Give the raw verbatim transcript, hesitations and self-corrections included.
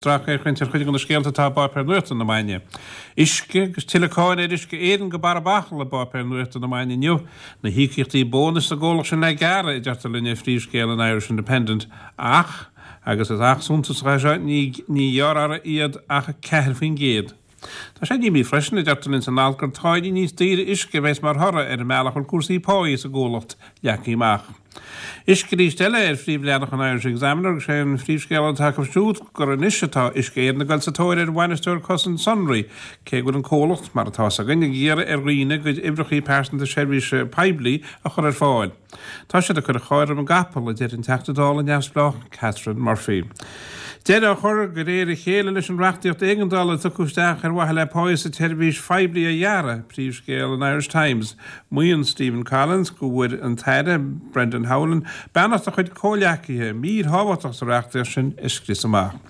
Sracfhéachaint ar chuid de na scéalta atá i bpáipéir nuachta na maidine. Uisce agus tuilleadh cáinte ar Uisce Éireann go barra bachall i bpáipéir nuachta na maidine inniu. Na híocaíochtaí bónais sa gcomhlacht sin le gearradh, a deirtear linn ar phríomhscéal an Irish Independent. Ach, agus is ach suntasach é seo, ní ní ghearrfar iad ach ceathair faoin gcéad. Tá sé díomách freisin, a deirtear linn san alt, gur táillí níos daoire uisce a bheas mar thoradh ar an mbealach a bhfuil cúrsaí páí sa gcomhlacht leagtha amach. Uisce arís eile ar phríomhleathanach an Irish Examiner agus sé an phríomhscéal atá acu siúd gur anois atá Uisce Éireann ag dul sa tóir ar bhainisteoir cosaint sonraí, cé go bhfuil an comhlacht, mar atá 's againn, ag iarraidh ar dhaoine a gcuid uimhreacha pearsanta seirbhíse poiblí a chur ar fáil. Tá siad ag cur an chairr roimh an gcapall, a deir an Teachta Dála neamhspleách Catherine Murphy. Deireadh á chur de réir a chéile leis an reachtaíocht éigeandála a tugadh isteach ar mhaithe le páí sa tseirbhís phoiblí a ghearradh, príomhscéal an Irish Times. Maíonn Stephen Collins go bhfuair an tAire Brendan Howlin beannacht a chuid comhghleacaithe mír thábhachtach sa reachtaíocht sin a scrios amach.